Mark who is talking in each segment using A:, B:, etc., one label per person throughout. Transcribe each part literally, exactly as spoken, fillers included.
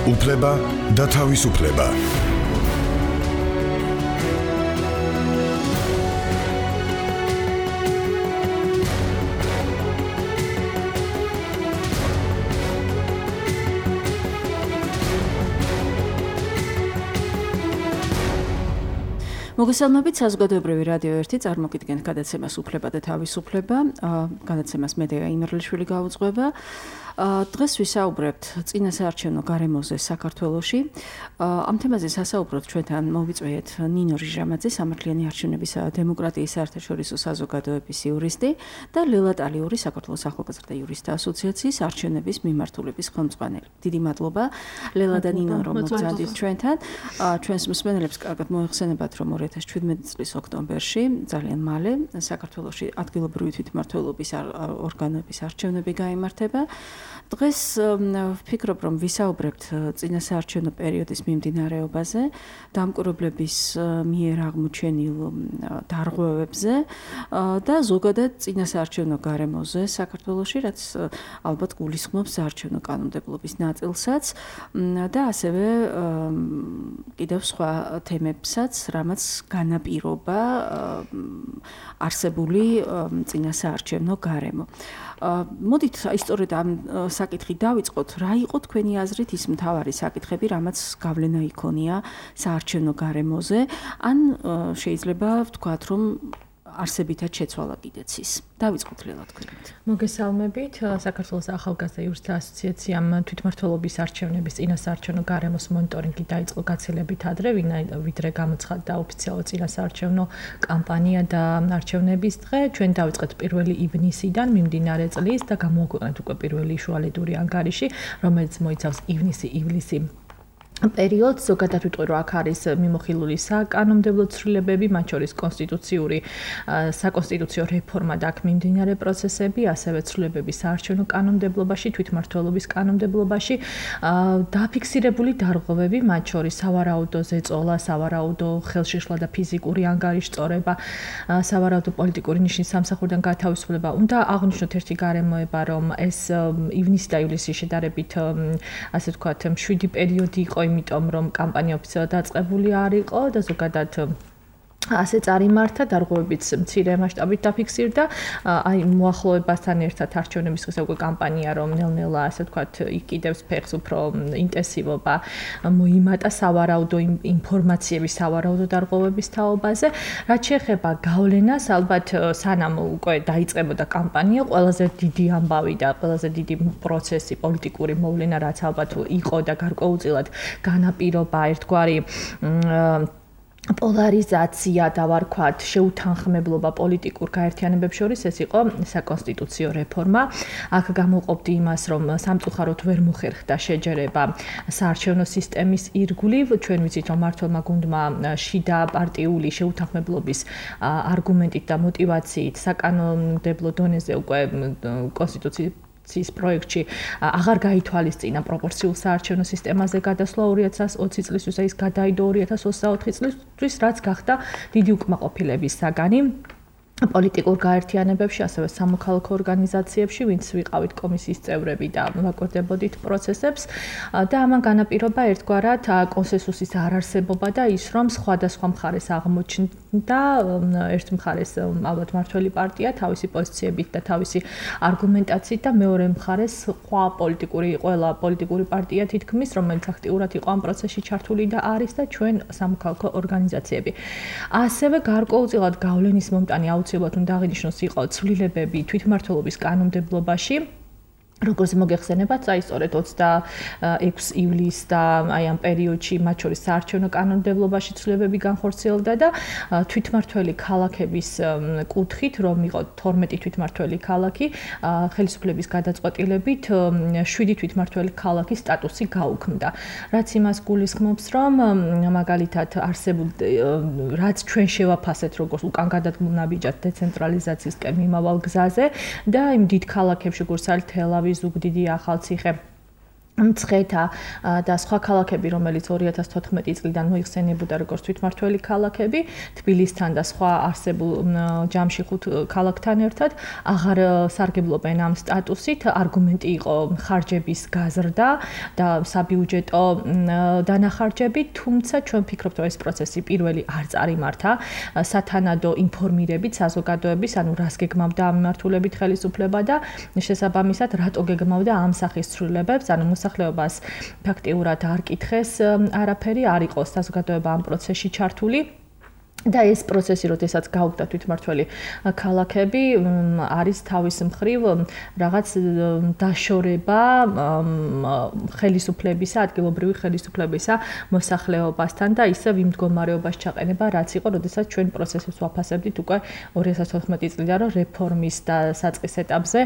A: უფლება და თავისუფლება.
B: მოგესალმებით, საზოგადოებრივი რადიო ერთი წარმოგიდგენთ გადაცემას უფლება და თავისუფლება. გადაცემას მე დეა იმერლიშვილი გაუძღვება. დღეს ვისაუბრებთ წინა საარჩევნო გარემოზე საქართველოში. ამ თემაზე სასაუბროთ ჩვენთან მოვიწვიეთ ნინო ჟიჟამაძე, სამართლიანი არჩევნების დემოკრატიის საერთაშორისო საზოგადოების იურისტი და ლელა ტალიური, საქართველოს ახალგაზრდა იურისტთა ასოციაციის არჩევნების მიმართულების ხელმძღვანელი. დიდი მადლობა ლელა და ნინო, რომ მოგზაურობთ ჩვენთან. ჩვენს მსმენელებს კარგად მოიხსენებათ, რომ ორი ათას შვიდმეტი წლის ოქტომბერში ძალიან მალე საქართველოში ადგილობრივი თვითმმართველობის ორგანოების არჩევნები გაიმართება. დღეს ვფიქრობ, რომ ვისაუბრებთ წინა საარჩევნო პერიოდის მიმდინარეობაზე, დამკვირვებლების მიერ აღმოჩენილ დარღვევებზე და ზოგადად წინა საარჩევნო გარემოზე საქართველოში, რაც ალბათ გულისხმობს საარჩევნო კანონმდებლობის ნაწილსაც და ასევე კიდევ სხვა თემებსაც, რამაც განაპირობა არსებული წინა საარჩევნო გარემო. მოდით ისტორიად ამ საკითხი დავიწყოთ, რა იყო თქვენი აზრით ის მთავარი საკითხები, რამაც გავლენა იქონია საარჩევნო გარემოზე, ან შეიძლება ვთქვათ, რომ არსებითად შეცვალა კიდეც ის. დავიწყოთ ლელა თქვენით.
C: მოგესალმებით, საქართველოს ახალგაზრდა იურისტთა ასოციაციამ თვითმმართველობის არჩევნების წინა საარჩევნო გარემოს მონიტორინგი დაიწყო გაცილებით ადრე, ვიდრე გამოცხადდა ოფიციალურად წინა საარჩევნო კამპანია და არჩევნების დღე. ჩვენ დავიწყეთ პირველი ივნისიდან მიმდინარე წლის და გამოვაქვეყნეთ უკვე პირველი შუალედური ანგარიში, რომელიც მოიცავს ივნისი-ივლისი პერიოდს. ზოგადად ვიტყვი, რომ აქ არის მიმოხილული საკანონმდებლო ცვლილებები, მათ შორის კონსტიტუციური საკონსტიტუციო რეფორმა და აქ მიმდინარე პროცესები, ასევე ცვლილებები საარჩევნო კანონმდებლობაში, თვითმმართველობის კანონმდებლობაში, დაფიქსირებული დარღვევები, მათ შორის სავარაუდო ზეწოლა, სავარაუდო ხელშიშლა და ფიზიკური ანგარიშწორება, სავარაუდო პოლიტიკური ნიშნის სამსახურიდან გათავისუფლება. უნდა აღვნიშნოთ ერთი გარემოება, რომ ეს ივნისი და ივლისი შედარებით, ასე ვთქვათ, მშვიდი პერიოდი იყო, იმიტომ რომ კამპანია ოფიციალურად დაწყებული არ იყო და ზოგადად ასე წარიმართა, დარღვევებიც მცირე მასშტაბით დაფიქსირდა. აი მოახლოებასთან ერთად არჩევნების დღეს უკვე კამპანია, რომ ნელ-ნელა, ასე ვთქვათ, იკიდებს ფეხს უფრო ინტენსივობა მოიმატა სავარაუდო ინფორმაციების, სავარაუდო დარღვევების თაობაზე. რაც შეეხება გავლენას, ალბათ სანამ უკვე დაიწყებოდა კამპანია, ყველაზე დიდი ამბავი და ყველაზე დიდი პროცესი, პოლიტიკური მოვლენა, რაც ალბათ იყო და გარკვეულწილად განაპირობა ერთგვარი პოლარიზაცია და ვარქვათ შეუთანხმებლობა პოლიტიკურ გაერთიანებებს შორის, ეს იყო საკონსტიტუციო რეფორმა. აქ გამოყოფდი იმას, რომ სამწუხაროდ ვერ მოხერხდა შეჯერება საარჩევნო სისტემის ირგვლივ. ჩვენ ვიცით, რომ მმართველმა გუნდმა შიდა პარტიული შეუთანხმებლობის არგუმენტით და мотивაციით საკანონმდებლო დონეზე უკვე კონსტიტუციის ის პროექტში აღარ გაითვალისწინა პროპორციულ საარჩევნო სისტემაზე გადასვლა ორი ათას ოცი წლისთვის, ის გადაიდო ორი ათას ოცდაოთხი წლისთვის, რაც გახდა დიდი უკმაყოფილების საგანი პოლიტიკურ გაერთიანებებში, ასევე სამოქალაქო ორგანიზაციებში, ვინც ვიყავით კომისიის წევრები და ვაკვირდებოდით პროცესებს და ამან განაპირობა ერთგვარად კონსენსუსის არარსებობა და ის, რომ სხვადასხვა მხარეს აღმოჩნდა ერთ მხარეს ალბათ მმართველი პარტია თავისი პოზიციებით და თავისი არგუმენტაციით და მეორე მხარეს სხვა პოლიტიკური ყველა პოლიტიკური პარტია თითქმის, რომელიც აქტიურად იყო ამ პროცესში ჩართული და არის და ჩვენ სამოქალაქო ორგანიზაციები. ასევე გარკვეულწილად გავლენის მომტანი აუცილებლად უნდა აღინიშნოს იყო ცვლილებები თვითმმართველობის კანონმდებლობაში. როგორც მოგეხსენებათ, აი სწორედ ოცდაექვსი ივლისს და აი ამ პერიოდში მათ შორის საარჩევნო კანონმდებლობაში ცვლილებები განხორციელდა და თვითმმართველი ქალაქების კუთხით, რომ იყო თორმეტი თვითმმართველი ქალაქი, ხელისუფლების გადაწყვეტილებით შვიდი თვითმმართველი ქალაქის სტატუსი გაუქმდა. რაც იმას გულისხმობს, რომ მაგალითად არსებულ რაც ჩვენ შევაფასეთ, როგორც უკან გადადგმულ ნაბიჯად დეცენტრალიზაციისკენ მიმავალ გზაზე და იმ დიდ ქალაქებში, როგორც არის თელ-ავივი, ზუგდიდი, ახალციხე მცხეთა და სხვა ქალაქები, რომელიც ორი ათას თოთხმეტი წლიდან მოიხსენიებოდა როგორც თვითმმართველი ქალაქები, თბილისთან და სხვა არსებულ ჯამში ხუთ ქალაქთან ერთად, აღარ სარგებლობენ ამ სტატუსით. არგუმენტი იყო ხარჯების გაზრდა და საბიუჯეტო დანახარჯები, თუმცა ჩვენ ვფიქრობთ, რომ ეს პროცესი პირველი არ წარიმართა სათანადო ინფორმირებით საზოგადოების, ანუ რას გეგმავდა ამ მიმართულებით ხელისუფლება და შესაბამისად რატო გეგმავდა ამ სახის ცვლილებებს, ანუ მოსახლეობას ფაქტიურად არ კითხეს არაფერი, არ იყო საზოგადოება ამ პროცესში ჩართული. და ეს პროცესი, როდესაც გაუგდა თვითმმართველი ქალაქები, არის თავის მხრივ რაღაც დაშორება ხელისუფლებისა, ადგილობრივი ხელისუფლებისა მოსახლეობასთან და ისევ იმ მდგომარეობაში ჩაყენება, რაც იყო, როდესაც ჩვენ პროცესებს ვაფასებდით უკვე ორი ათას თოთხმეტი წლიდან, რომ რეფორმის და საწყის ეტაპზე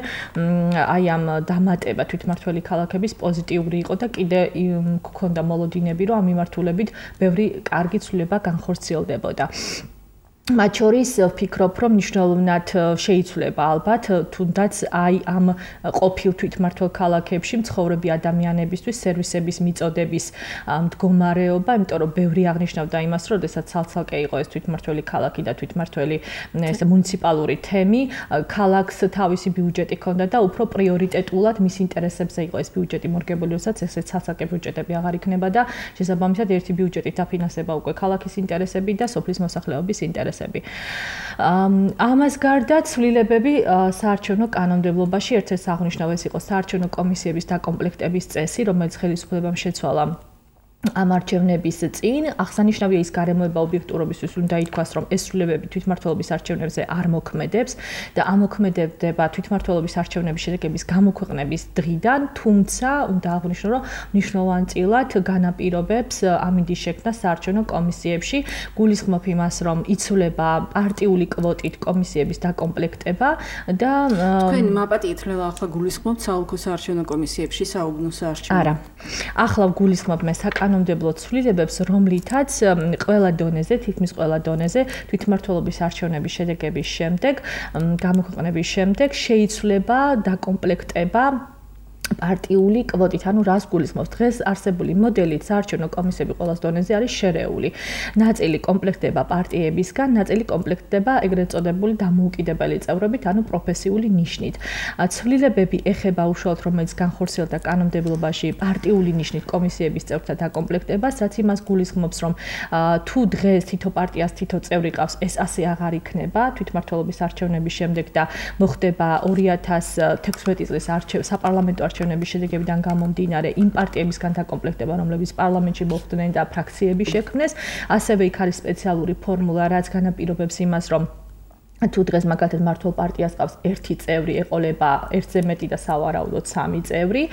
C: აი ამ დამატება თვითმმართველი ქალაქების პოზიტიური იყო და კიდე გქონდა მოლოდინები, რომ ამ მიმართულებით ბევრი კარგი ცვლილება განხორციელდებოდა. მათ შორის ვფიქრობ, რომ მნიშვნელოვნად შეიცვლება ალბათ თუნდაც აი ამ ყოფილ თვითმმართველ ქალაქებში მცხოვრები ადამიანებისთვის სერვისების მიწოდების მდგომარეობა, იმიტომ რომ ბევრი აღნიშნავდა იმას, რომ შესაძაც ცალ-ცალკე იყო ეს თვითმმართველი ქალაქი და თვითმმართველი ეს მუნიციპალური თემი, ქალაქს თავისი ბიუჯეტი ჰქონდა და უფრო პრიორიტეტულად მის ინტერესებზე იყო ეს ბიუჯეტი მორგებული, როდესაც ეს ცალ-ცალკე ბიუჯეტები აღარ იქნება და შესაბამისად ერთი ბიუჯეტით დაფინანსება უკვე ქალაქის ინტერესები და სოფლის მოსახლეობის ინტერესები. ამას გარდა ცვლილებები საარჩევნო კანონმდებლობაში ერთ-ერთი აღნიშნავ ეს იყო საარჩევნო კომისიების დაკომპლექტების წესი, რომელიც ხელისუფლებამ შეცვალა ამ არჩევნების წინ. აღსანიშნავია ის გარემოება ობიექტურობისთვის უნდა ითქვას, რომ ეს ცვლილებები თვითმმართველობის არჩევნებზე არ მოქმედებს და ამოქმედებდება თვითმმართველობის არჩევნების შედეგების გამოქვეყნების დღიდან, თუმცა უნდა აღვნიშნო, რომ მნიშვნელოვანწილად განაპირობებს ამინდის შექმნა საარჩევნო კომისიებში. გულისხმობ იმას, რომ იცვლება პარტიული კვოტით კომისიების დაკომპლექტება და
B: თქვენ მაპატი ითვლება ახლა გულისხმობთ საოლქო საარჩევნო კომისიებში საუბნო საარჩევნო.
C: არა. ახლა გულისხმობ მე საკანონმდებლო ცვლილებებს, რომლითაც ყველა დონეზე, თითქმის ყველა დონეზე თვითმმართველობის არჩევნების შედეგების შემდეგ, გამოქვეყნების შემდეგ შეიცვლება დაკომპლექტება პარტიული კვოტით, ანუ რას გულისხმობს? დღეს არსებული მოდელით საარჩევნო კომისიები ყოველ დონეზე არის შერეული. ნაწილი კომპლექტდება პარტიებისგან, ნაწილი კომპლექტდება ეგრეთ წოდებული დამოუკიდებელი წევრობით, ანუ პროფესიული ნიშნით. ცვლილებები ეხება უშუალოდ, რომელიც განხორციელდა კანონმდებლობაში პარტიული ნიშნით კომისიების წევრთა დაკომპლექტებას, რაც იმას გულისხმობს, რომ თუ დღეს თითო პარტიას თითო წევრი ყავს, ეს ასე აღარ იქნება თვითმმართველობის არჩევნების შემდეგ და მოხდება ორი ათას თექვსმეტი წლის საპარლამენტო არჩევნების შედეგებიდან გამომდინარე იმ პარტიებისგან დაკომპლექტება, რომლებიც პარლამენტში მოხვდნენ და ფრაქციები შექმნეს. ასევე იქ არის სპეციალური ფორმულა, რაც განაპირობებს იმას, რომ თუ დღეს მაგალითად მართლ პარტიას ყავს ერთი წევრი, ეყოლება ერთზე მეტი და სავარაუდოდ სამი წევრი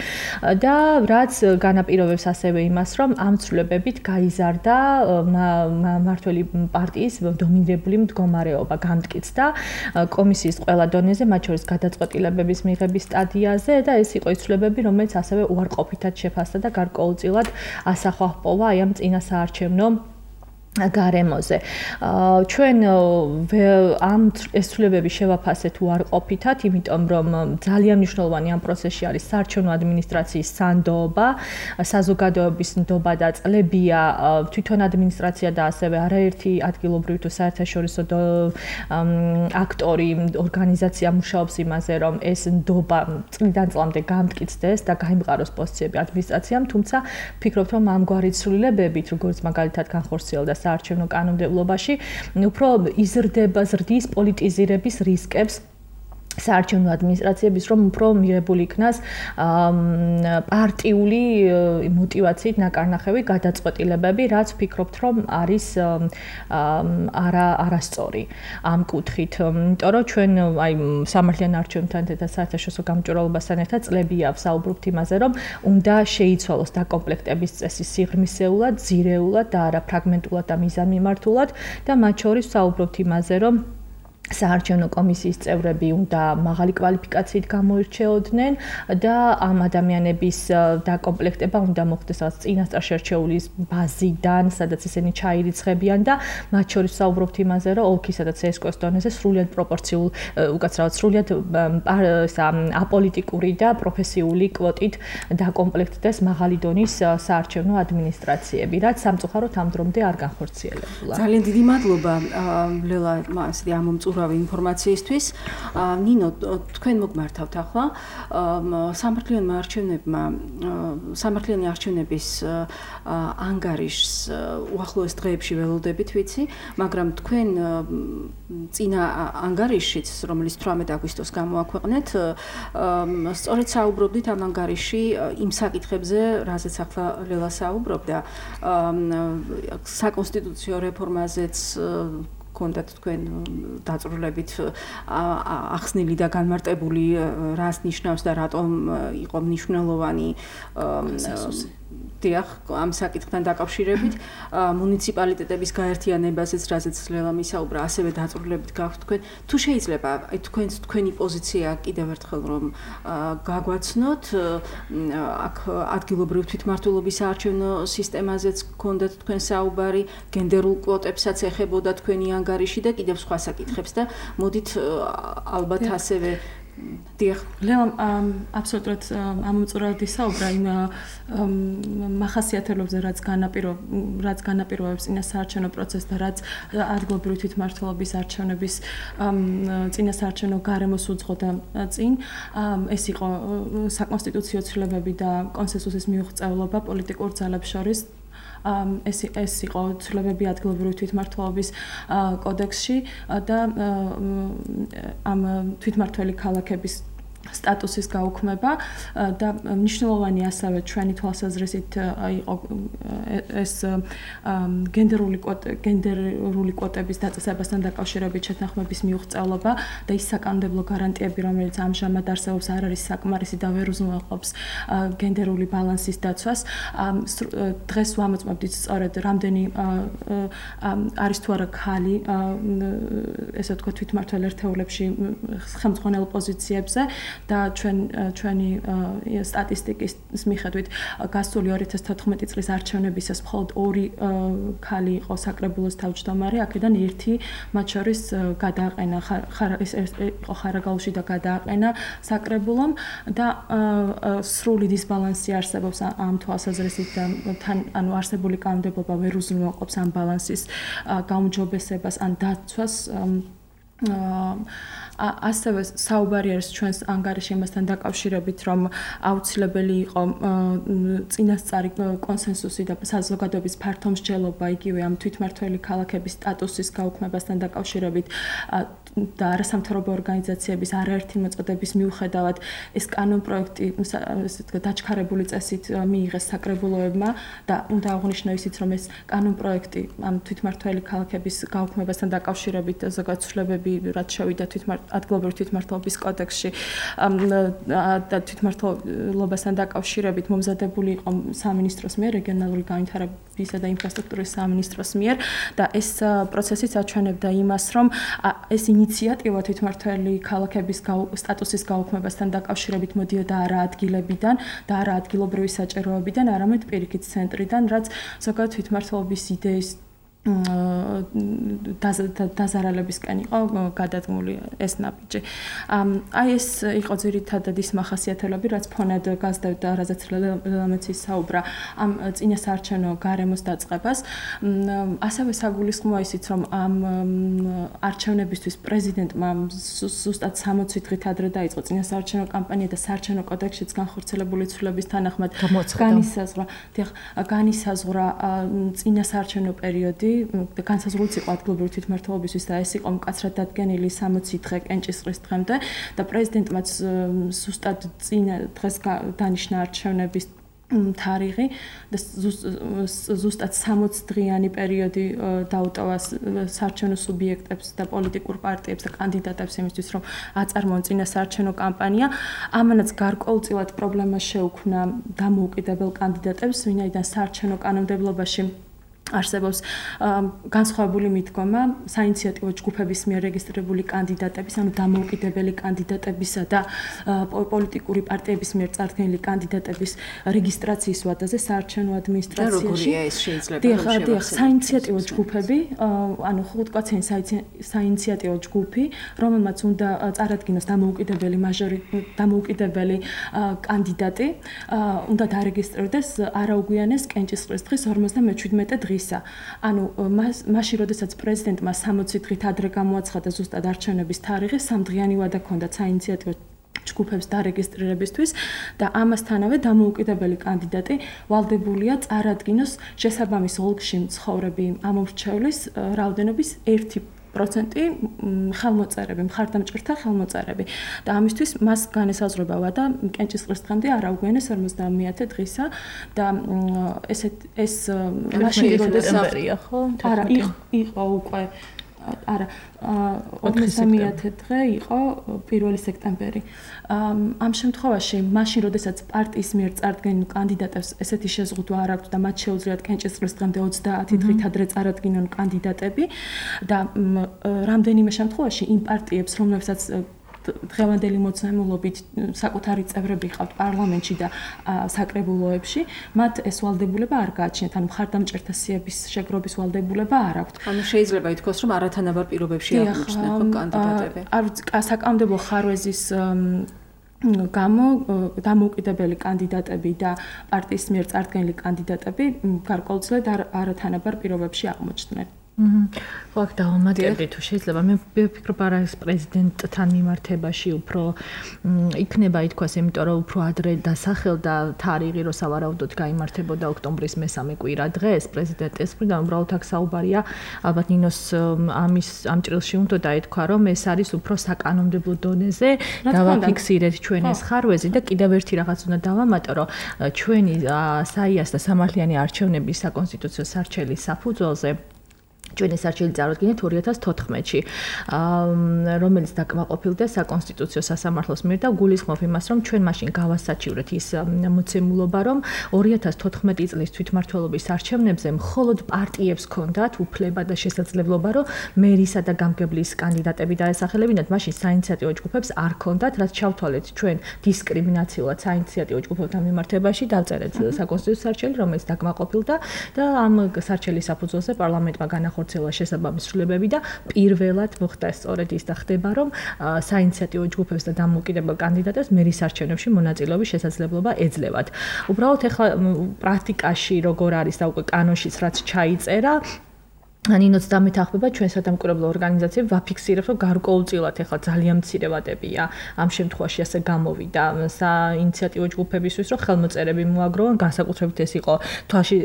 C: და რაც განაპირობებს ასევე იმას, რომ ამ ცვლილებებით გაიზარდა მმართველი პარტიის დომინირებული მდგომარეობა, განმტკიცდა კომისიის ყველა დონეზე, მათ შორის გადაწყვეტილებების მიღების სტადიაზე და ეს იყო ის ცვლილებები, რომელიც ასევე უარყოფითად შეფასდა და გარკვეულწილად ასახვა ჰპოვა აი ამ წინა საარჩევნო გარემოზე. ჩვენ ამ ეს ცვლილებები შევაფასეთ უარყოფითად, იმიტომ რომ ძალიან მნიშვნელოვანი ამ პროცესში არის საარჩევნო ადმინისტრაციის სანდოობა, საზოგადოების ნდობა და წლებია თვითონ ადმინისტრაცია და ასევე არაერთი ადგილობრივი თუ საერთაშორისო აქტორი, ორგანიზაცია მუშაობს იმაზე, რომ ეს ნდობა წლიდან წლამდე გამტკიცდეს და გაიმყაროს პოზიციები ადმინისტრაციამ, თუმცა ვფიქრობთ, რომ ამგვარი ცვლილებებით, როგორც მაგალითად განხორციელდა საარჩევნო კანონმდებლობაში, უფრო იზრდება ზრდის პოლიტიზირების რისკებს საარჩევნო ადმინისტრაციების, რომ უფრო მიღებული იქნას პარტიული мотивაციით ნაკარნახევი გადაწყვეტილებები, რაც ვფიქრობთ, რომ არის არა არასწორი ამ კუთხით. იმიტომ რომ ჩვენ აი სამართლიან არჩევნებთან და საერთაშორისო გამჭვირვალობასთან ერთად წლებია ვსაუბრობთ იმაზე, რომ უნდა შეიცვალოს დაკომპლექტების წესი სიღრმისეულად, ძირეულად და არა ფრაგმენტულად და მიზანმიმართულად და მათ შორის ვსაუბრობთ იმაზე, რომ საარჩევნო კომისიის წევრები უნდა მაღალი კვალიფიკაციით გამოირჩეოდნენ და ამ ადამიანების დაკომპლექტება უნდა მოხდეს რაღაც წინასწარ შერჩეულის ბაზიდან, სადაც ისინი ჩაირიცხებიან და მათ შორის საუბრობთ იმაზე, რომ ოლქისა და ცესკოს დონეზე სრულიად პროპორციულ, უკაცრავად სრულიად აპოლიტიკური და პროფესიული კვოტით დაკომპლექტდეს მაღალი დონის საარჩევნო ადმინისტრაციები, რაც სამწუხაროდ ამ დრომდე არ განხორციელებულა.
B: ძალიან დიდი მადლობა ლელა მასე ამომწურავი ინფორმაციისთვის. ნინო, თქვენ მოგმართავთ ახლა სამართლიანი არჩევნებმა სამართლიანი არჩევნების ანგარიშს უახლოეს დღეებში ველოდებით, ვიცი, მაგრამ თქვენ წინა ანგარიშიც, რომელიც თვრამეტ აგვისტოს გამოაქვეყნეთ, სწორედ საუბრობდით ამ ანგარიში იმ საკითხებზე, რაზეც ახლა ლელა საუბრობდა, საკონსტიტუციო რეფორმაზეც კონდათ თქვენ დაწვრილებით ახსნილი და განმარტებული რას ნიშნავს და რატომ იყო მნიშვნელოვანი დიახ ამ საკითხთან დაკავშირებით მუნიციპალიტეტების გაერთიანებაზეც რაზეც ლელა მისაუბრა ასევე დაწვრილებით გაქვთ თქვენ თუ შეიძლება აი თქვენს თქვენი პოზიცია კიდევ ერთხელ რომ გაგვაცნოთ აქ ადგილობრივ თვითმმართველობის საარჩევნო სისტემაზეც გქონდათ თქვენ საუბარი გენდერულ კვოტებსაც ეხებოდა თქვენი ანგარიში და კიდევ სხვა საკითხებს და მოდით ალბათ ასევე დიახ
D: ლელა აბსოლუტურად ამომწურავდი საუბრა იმ მახასიათებლებზე რაც განაპირო რაც განაპირობებს წინა საარჩევნო პროცესს და რაც ადგილობრივი თვითმმართველობის არჩევნების წინა საარჩევნო გარემოს უძღოდა წინ ეს იყო საკონსტიტუციო ცვლილებები და კონსენსუსის მიუღწევლობა პოლიტიკურ ძალებს შორის ეს ეს იყო ცვლილებები ადგილობრივი თვითმმართველობის კოდექსში და ამ თვითმმართველი ქალაქების სტატუსის გაუქმება და მნიშვნელოვანი ასევე ჩვენი თვალსაზრისით იყო ეს გენდერული გენდერული კვოტების დაწესებასთან დაკავშირებით შეთანხმების მიუღწევლობა და ის საკანონმდებლო გარანტიები, რომელიც ამჟამად არსებობს, არ არის საკმარისი და ვერ უზრუნველყოფს გენდერული ბალანსის დაცვას. დღეს ვამოწმებდით სწორედ რამდენი არის თუ არა ქალი ესე ვთქვათ თვითმმართველ ერთეულებში ხელმძღვანელ პოზიციებზე და ჩვენ ჩვენი სტატისტიკის მიხედვით გასული ორი ათას თოთხმეტი წლის არჩევნებისას მხოლოდ ორი ქალი იყო საკრებულოს თავმჯდომარე, აქედან ერთი მათ შორის გადააყენა ეს იყო ხარაგაულში და გადააყენა საკრებულომ და სრული დისბალანსი არსებობს ამ თვალსაზრისით და თან ანუ არსებული კანონმდებლობა ვერ უზრუნველყოფს ამ ბალანსის გაუმჯობესებას ან დაცვას ასევე საუბარი არის ჩვენს ანგარიში იმასთან დაკავშირებით, რომ აუცილებელი იყო წინასწარი კონსენსუსი და საზოგადოების ფართო მსჯელობა იგივე ამ თვითმმართველი ქალაქების სტატუსის გაუქმებასთან დაკავშირებით და არასამთავრობო ორგანიზაციების არაერთი მოწოდების მიუხედავად ეს კანონპროექტი ესე ვთქვათ დაჩქარებული წესით მიიღეს საკრებულოებმა და უნდა აღვნიშნო ისიც, რომ ეს კანონპროექტი ამ თვითმმართველი ქალაქების გაუქმებასთან დაკავშირებით ზოგადად ცვლილებები რაც შევიდა ადგილობრივი თვითმმართველობის კოდექსში და თვითმმართველობასთან დაკავშირებით მომზადებული იყო სამინისტროს მიერ, რეგიონალური განვითარებისა და ინფრასტრუქტურის სამინისტროს მიერ და ეს პროცესიც აჩვენებდა იმას, რომ ეს ინიციატივა თვითმმართველი ქალაქების სტატუსის გაუქმებასთან დაკავშირებით მოდიოდა არა ადგილებიდან და არა ადგილობრივი საჭიროებიდან, არამედ პირიქით ცენტრიდან, რაც ზოგადად თვითმმართველობის იდეის დაზარალებისკენ იყო გადადგმული ეს ნაბიჯი. აი ეს იყო ძირითადად ის მახასიათებლები, რაც ფონად გასდევდა, რაზეც ლელამეცის საუბრა ამ წინა საარჩევნო გარემოს დაწყებას. ასევე საგულისხმოა ისიც, რომ ამ არჩევნებისთვის პრეზიდენტმა ზუსტად სამოცი დღით ადრე დაიწყო წინა საარჩევნო კამპანია და საარჩევნო კოდექსშიც განხორციელებული ცვლილების თანახმად განისაზღვრა, განისაზღვრა წინა საარჩევნო პერიოდი და განსაზღვრულიც იყო ადგილობრივი თვითმმართველობისთვის და ეს იყო მკაცრად დადგენილი სამოცი დღე კენჭისყრის დღემდე და პრეზიდენტმაც ზუსტად წინა დღეს დანიშნა არჩევნების თარიღი და ზუსტად სამოცი დღიანი პერიოდი დაუტოვა საარჩევნო სუბიექტებს და პოლიტიკურ პარტიებს და კანდიდატებს იმისთვის, რომ აწარმოონ წინა საარჩევნო კამპანია. ამანაც გარკვეულწილად პრობლემა შეუქმნა დამოუკიდებელ კანდიდატებს, ვინაიდან საარჩევნო კანონმდებლობაში არსებობს განსხვავებული მიდგომა საინიციატივო ჯგუფების მიერ რეგისტრირებული კანდიდატების, ანუ დამოუკიდებელი კანდიდატებისა და პოლიტიკური პარტიების მიერ წარდგენილი კანდიდატების რეგისტრაციის ვადაზე საარჩევნო ადმინისტრაციაში.
B: და როგორია ეს შეიძლება?
D: დიახ, დიახ, საინიციატივო ჯგუფები, ანუ ხუთკაციანი საინიციატივო ჯგუფი, რომელმაც უნდა წარადგინოს დამოუკიდებელი მაჟორი დამოუკიდებელი კანდიდატი, უნდა დარეგისტრირდეს არაუგვიანეს კენჭისყრის დღის ორმოცდამეჩვიდმეტე დღის. ანუ მაშინ როდესაც პრეზიდენტმა სამოცი დღით ადრე გამოაცხადა ზუსტად არჩევნების თარიღი, სამდღიანი ვადა ჰქონდა საინიციატივო ჯგუფებს დარეგისტრირებისთვის და ამასთანავე დამოუკიდებელი კანდიდატი ვალდებულია წარადგინოს შესაბამის ოლქში მცხოვრები ამომრჩევლის რაოდენობის ერთი პროცენტი ხელმოწერები, მხარდამჭერთა ხელმოწერები. და ამისთვის მას განესაზღვრება ვადა კენჭისყრის დღემდე არაუგვიანეს ორმოცდამეათე დღისა და ესეთ ეს
C: მაშინ როდესმერია ხო?
D: არა, იყო უკვე არა ორმოცდამეათე დღე იყო პირველი სექტემბერი. ამ შემთხვევაში მაშინ როდესაც პარტიის მიერ წარდგენილ კანდიდატებს ესეთი შეზღუდვა არ აქვს და მათ შეუძლიათ კენჭისყრის დღემდე ოცდაათი დღით ადრე წარადგინონ კანდიდატები და რამდენიმე შემთხვევაში იმ პარტიებს, რომლებსაც დღევანდელი მოცემულობით საკუთარი წევრები ყავთ პარლამენტში და საკრებულოებში, მათ ეს ვალდებულება არ გააჩნიათ, ანუ მხარდამჭერთა სიების შეგროვის ვალდებულება არ აქვთ.
B: ანუ შეიძლება ითქვას, რომ არათანაბარ პირობებში აღმოჩნდნენ ხო კანდიდატები.
D: საკანონმდებლო ხარვეზის გამო დამოუკიდებელი კანდიდატები და პარტიის მიერ წარდგენილი კანდიდატები გარკვეულწილად არათანაბარ პირობებში აღმოჩნდნენ.
C: ხო, აქ დავამატებდი თუ შეიძლება. მე ვფიქრობ, არა ეს პრეზიდენტთან მიმართებაში უფრო იქნება ითქვას, იმიტომ რომ უფრო ადრე დასახელდა თარიღი, რომ სავარაუდოდ გაიმართებოდა ოქტომბრის მესამე კვირა დღეს პრეზიდენტის მხრიდან. უბრალოდ აქ საუბარია, ალბათ ნინოს ამის ამ ჭრილში უნდა დაეთქვა, რომ ეს არის უფრო საკანონმდებლო დონეზე, დავაფიქსირეთ ჩვენ ეს ხარვეზი და კიდევ ერთი რაღაც უნდა დავამატო, რომ ჩვენი საიას და სამართლიანი არჩევნების საკონსტიტუციო სარჩელის საფუძველზე ჩვენი სარჩელი წარუდგინეთ ორი ათას თოთხმეტში, რომელიც დაკმაყოფილდა საკონსტიტუციო სასამართლოს მიერ და გულისხმობ იმას, რომ ჩვენ მაშინ გავასაჩივრეთ ის მოცემულობა, რომ ორი ათას თოთხმეტი წლის თვითმმართველობის არჩევნებზე მხოლოდ პარტიებს ჰქონდათ უფლება და შესაძლებლობა, რომ მერისა და გამგებლის კანდიდატები დაესახელებინათ, მაშინ საინიციატივო ჯგუფებს არ ჰქონდათ, რაც ჩავთვალეთ ჩვენ დისკრიმინაციულად საინიციატივო ჯგუფებთან მიმართებაში, დავწერეთ საკონსტიტუციო სარჩელი, რომელიც დაკმაყოფილდა და ამ სარჩელის საფუძველზე პარლამენტმა განახორციელა ხორცელა შესაბამის ცვლილებები და პირველად მოხდა სწორედ ის და ხდება, რომ საინიციატივო ჯგუფებს და დამოუკიდებელ კანდიდატებს მერის არჩევნებში მონაწილეობის შესაძლებლობა ეძლევათ. უბრალოდ ეხლა პრაქტიკაში როგორ არის და უკვე კანონშიც რაც ჩაიწერა, ანინოც დამეთახმება ჩვენ სადამკვირვებლო ორგანიზაციები ვაფიქსირებთ, რომ გარკვეულწილად ეხლა ძალიან მცირე ვადებია ამ შემთხვევაში ასე გამოვიდა საინიციატივო ჯგუფებისთვის, რომ ხელმოწერები მოაგროვონ, განსაკუთრებით ეს იყო თვალში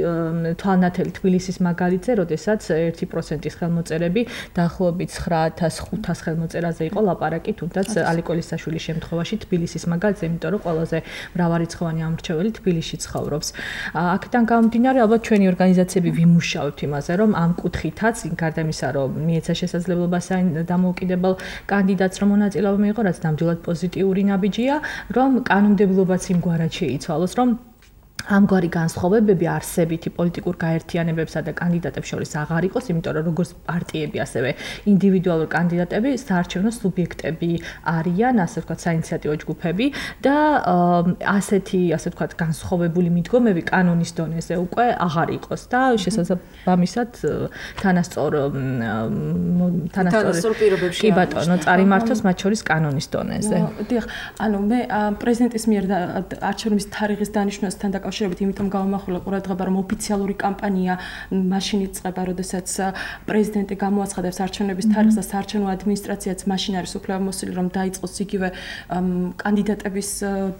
C: თვალნათელი თბილისის მაგალითზე, როდესაც ერთი პროცენტის ხელმოწერები დაახლოებით ცხრა ათას ხუთას ხელმოწერაზე იყო ლაპარაკი, თუნდაც ალიკოლისაშვილის შემთხვევაში თბილისის მაგალითზე, იმიტომ რომ ყველაზე მრავალრიცხოვანი ამრჩეველი თბილისში ცხოვრობს. აქედან გამომდინარე, ალბათ ჩვენი ორგანიზაციები ვიმუშავებთ იმაზე, რომ ამ კუთხით თაც გარდა იმისა, რომ მიეცა შესაძლებლობა დამოუკიდებელ კანდიდატს რომ მონაწილეობა მიიღო, რაც ნამდვილად პოზიტიური ნაბიჯია, რომ კანონმდებლობაც იმგვარად შეიცვალოს, რომ ამგვარი განსხვავებები არსებითი პოლიტიკურ გაერთიანებებსა და კანდიდატებს შორის აღარ იყოს, იმიტომ რომ როგორც პარტიები, ასევე ინდივიდუალური კანდიდატები საარჩევნო სუბიექტები არიან, ასე ვთქვათ, საინიციატივო ჯგუფები და ასეთი, ასე ვთქვათ, განსხვავებული მიდგომები კანონის დონეზე უკვე აღარ იყოს და შესაბამისად თანასწორ
B: თანასწორ პირობებში
C: კი ბატონო, წარიმართოს მათ შორის კანონის დონეზე.
D: დიახ, ანუ მე პრეზიდენტის მიერ არჩევნების თარიღის დანიშვნასთან და კავშირებით იმიტომ გავამახვილა ყურადღება, რომ ოფიციალური კამპანია მაშინ იწყება, როდესაც პრეზიდენტი გამოაცხადებს არჩევნების თარიღს და საარჩევნო ადმინისტრაციაც მაშინ არის უფლებამოსილი, რომ დაიწყოს იგივე კანდიდატების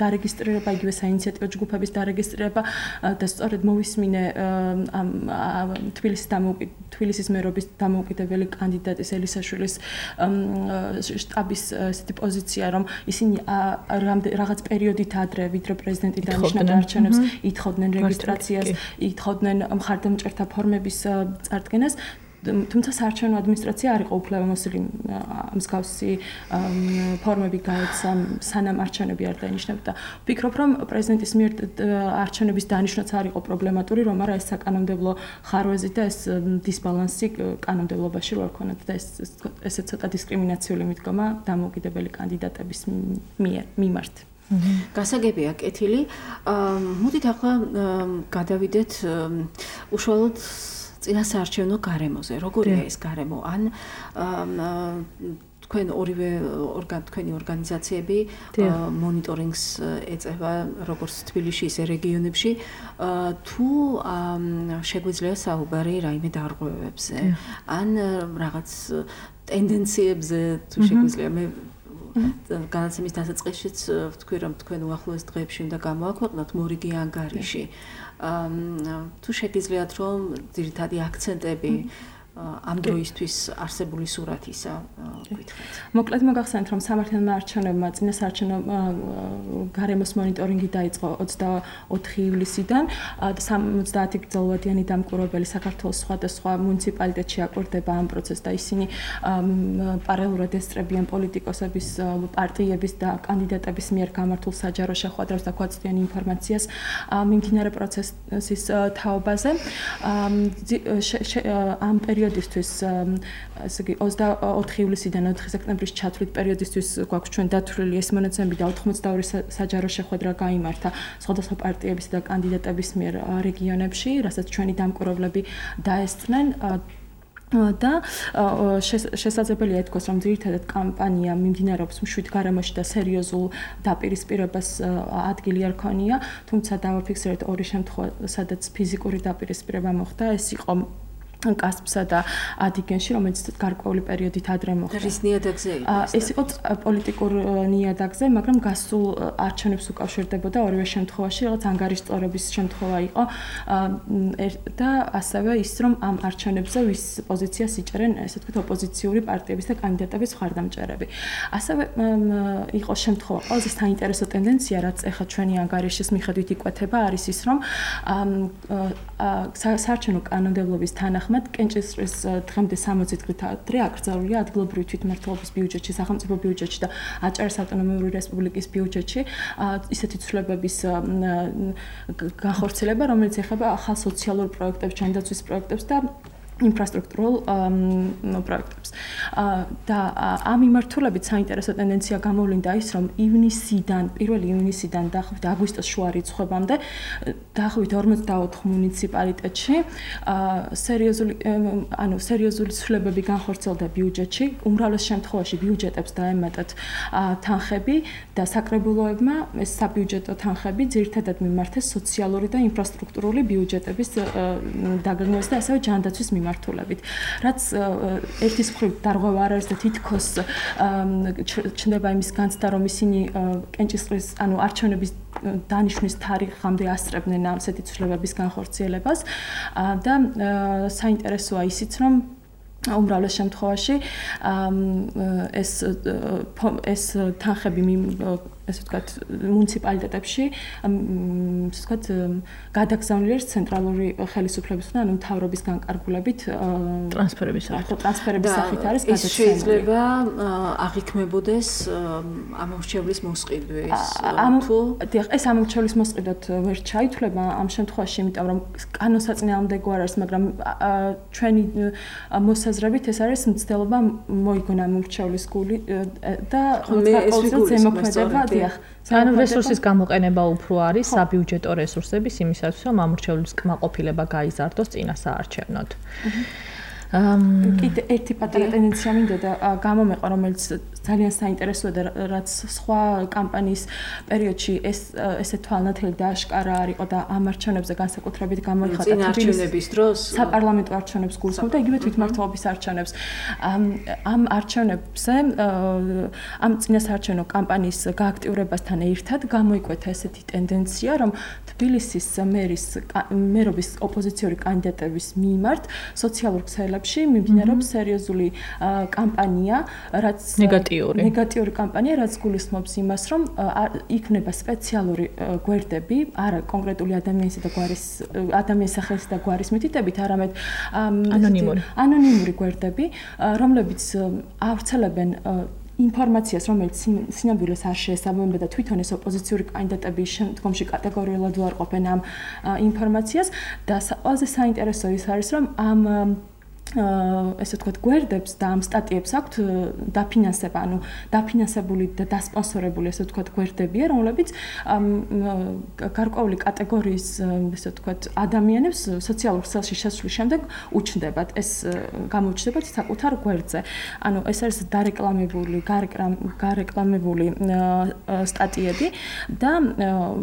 D: დარეგისტრირება, იგივე საინიციატივო ჯგუფების დარეგისტრირება და სწორედ მოვისმინე თბილისის თბილისის მერობის დამოუკიდებელი კანდიდატის ელისაშვილის შტაბის ესეთი პოზიცია, რომ ისინი რაღაც პერიოდით ადრე, ვიდრე პრეზიდენტი დანიშნა არჩევნებს, ითხოვდნენ რეგისტრაციას, ითხოვდნენ მხარდამჭერთა ფორმების წარდგენას თუმცა საარჩევნო ადმინისტრაცია არ იყო უფლებამოსილი მსგავსი ფორმები გაეცა სანამ არჩევნები არ დაინიშნებოდა. ვფიქრობ, რომ პრეზიდენტის მიერ არჩევნების დანიშვნაც არ იყო პრობლემატური, რომ არა ეს საკანონმდებლო ხარვეზი და ეს დისბალანსი კანონმდებლობაში რო არ ქონათ და ეს ესე ცოტა დისკრიმინაციული მიდგომა დამოუკიდებელი კანდიდატების მიერ მიმართ.
B: გასაგებია კეთილი. მოდით ახლა გადავიდეთ უშუალოდ წინასაარჩევნო გარემოზე. როგორია ეს გარემო? ან თქვენ ორივე ორგან თქვენი ორგანიზაციები მონიტორინგს ეწევა როგორც თბილისში ისე რეგიონებში თუ შეგვიძლია საუბარი რაიმე დარღვევებზე ან რაღაც ტენდენციებზე თუ შეგვიძლია მე განაცემის დასაწყისშიც ვთქვი რომ თქვენ უახლოეს დღეებში უნდა გამოაქვეყნოთ მორიგი ანგარიში თუ შეგიძლიათ რომ ძირითადი აქცენტები ამ დროისთვის არსებული სურათისა გითხრათ.
D: მოკლედ მოგახსენეთ რომ სამართლებრივმა არჩევნებმა წინასაარჩევნო გარემოს მონიტორინგი დაიწყო ოცდაოთხი ივლისიდან და სამოცდაათი გრძელვადიანი დამკვირვებელი საქართველოს სხვადასხვა მუნიციპალიტეტში აკვირდება ამ პროცესს და ისინი პარალელურად ესწრებიან პოლიტიკოსების, პარტიების და კანდიდატების მიერ გამართულ საჯარო შეხვედრებს და გვაწვდიან ინფორმაციას მიმდინარე პროცესის თაობაზე. ამ პერიოდისთვის ასე იგი ოცდაოთხი ივლისიდან ოთხი სექტემბრის ჩათვლით პერიოდისთვის გვაქვს ჩვენ დათვლილი ეს მონაცემები და ოთხმოცდაორი საჯარო შეხვედრა გაიმართა სხვადასხვა პარტიების და კანდიდატების მიერ რეგიონებში, რასაც ჩვენი დამკვირვებლები დაესწრნენ და შესაძლებელია ითქვას, რომ ძირითადად კამპანია მიმდინარეობს მშვიდ გარემოში და სერიოზულ დაპირისპირებას ადგილი არ ქონია, თუმცა დავაფიქსირეთ ორი შემთხვევა, სადაც ფიზიკური დაპირისპირება მოხდა, ეს იყო კასპსა და ადიგენში, რომელიც გარკვეული პერიოდით ადრე მოხდა.
B: რის ნიადაგზე იყო ეს?
D: ეს იყო პოლიტიკურ ნიადაგზე, მაგრამ გასულ არჩევნებს უკავშირდებოდა ორივე შემთხვევაში, რაღაც ანგარიშწორების შემთხვევა იყო და ასევე ის, რომ ამ არჩევნებზე ვის პოზიციას იჭერენ, ესე ვთქვით, ოპოზიციური პარტიების და კანდიდატების მხარდამჭერები. ასევე იყო შემთხვევა, ყველაზე საინტერესო ტენდენცია, რაც ახლა ჩვენი ანგარიშის მიხედვით იკვეთება, არის ის, რომ საარჩევნო კანონმდებლობის თანახმად კენჭისყრის დღემდე სამოცი დღით ადრე აკრძალულია ადგილობრივი თვითმმართველობის ბიუჯეტში, სახელმწიფო ბიუჯეტში და აჭარის ავტონომიური რესპუბლიკის ბიუჯეტში ისეთი ცვლილებების განხორციელება, რომელიც ეხება ახალ სოციალურ პროექტებს, ჯანდაცვის პროექტებს და ინფრასტრუქტურულ პროექტებს. და ამ მიმართულებით საინტერესო ტენდენცია გამოვლინდა ის, რომ ივნისიდან, პირველი ივნისიდან დაახლოებით აგვისტოს შუა რიცხვებამდე დაახლოებით ორმოცდაოთხ მუნიციპალიტეტში სერიოზული ანუ სერიოზული ცვლილებები განხორციელდა ბიუჯეტში, უმრავლეს შემთხვევაში ბიუჯეტებს დაემატათ თანხები და საკრებულოებმა ეს საბიუჯეტო თანხები ძირითადად მიმართეს სოციალური და ინფრასტრუქტურული ბიუჯეტების დაგეგმვას და ასევე ჯანდაცვის მიმართულებით. რაც ერთის მხრივ დარღვევა არ არის და თითქოს ჩნდება იმის განცდა, რომ ისინი კენჭისყრის, ანუ არჩევნების დანიშვნის თარიღამდე ასწრებდნენ ასეთი ცვლილებების განხორციელებას და საინტერესოა ისიც, რომ უმრავლეს შემთხვევაში ეს ეს თანხები ესე ვთქვათ მუნიციპალიტეტებში ესე ვთქვათ გადაგზავნილი არის ცენტრალური ხელისუფლების მხრიდან, ანუ მთავრობის განკარგულებით
C: ტრანსფერების სახით.
D: ტრანსფერების სახით არის
B: გადაცემული. შეიძლება აღიქმებოდეს ამორჩევლის მოსყიდვი თუ
D: ეს ამორჩევლის მოსყიდვად ვერ ჩაითვლება ამ შემთხვევაში, იმიტომ რომ კანონსაწინააღმდეგო არ არის, მაგრამ ჩვენი მოსაზრებით ეს არის მცდელობა მოიგონა ამორჩევლის გული და
B: ეს
D: ზემოქმედება
C: ანუ რესურსის გამოყენება უფრო არის საბიუჯეტო რესურსების იმისათვის, რომ ამორჩევლის კმაყოფილება გაიზარდოს წინასაარჩევნოდ.
D: კიდე ერთი პატარა ტენდენცია მინდა და გამომეყვა, რომელიც ძალიან საინტერესოა და რაც სხვა კამპანიის პერიოდში ეს ესე თვალნათელი და აშკარა არ იყო და ამ არჩევნებზე განსაკუთრებით გამოიხატა
B: წინა არჩევნების დროს
D: საპარლამენტო არჩევნებს გულისხმობ და იგივე თვითმმართველობის არჩევნებს. ამ არჩევნებზე ამ წინასაარჩევნო კამპანიის გააქტიურებასთან ერთად გამოიკვეთა ესეთი ტენდენცია, რომ თბილისის მერის მერობის ოპოზიციური კანდიდატების მიმართ სოციალურ ქსელებში დღეებში მიმდინარეობს სერიოზული კამპანია, რაც
C: ნეგატიური
D: ნეგატიური კამპანია, რაც გულისხმობს იმას, რომ იქნება სპეციალური გვერდები, არა კონკრეტული ადამიანისა და გვარის ადამიანის სახელის და გვარის მითითებით, არამედ
C: ანონიმური
D: ანონიმური გვერდები, რომლებიც ავრცელებენ ინფორმაციას, რომელიც სინამდვილეს არ შეესაბამება და თვითონ ეს ოპოზიციური კანდიდატები შემდგომში კატეგორიულად უარყოფენ ამ ინფორმაციას და ყველაზე საინტერესო ის არის, რომ ამ ესე ვთქვათ, გვერდებს და ამ სტატიებს აქვთ დაფინანსება, ანუ დაფინანსებული და დასპონსორებული ესე ვთქვათ გვერდებია, რომლებიც გარკვეული კატეგორიის ესე ვთქვათ ადამიანებს სოციალურ ქსელში შესვლის შემდეგ უჩნდებათ, ეს გამოჩნდებათ საკუთარ გვერდზე. ანუ ეს არის დარეკლამებული, გარეკლამებული სტატიები და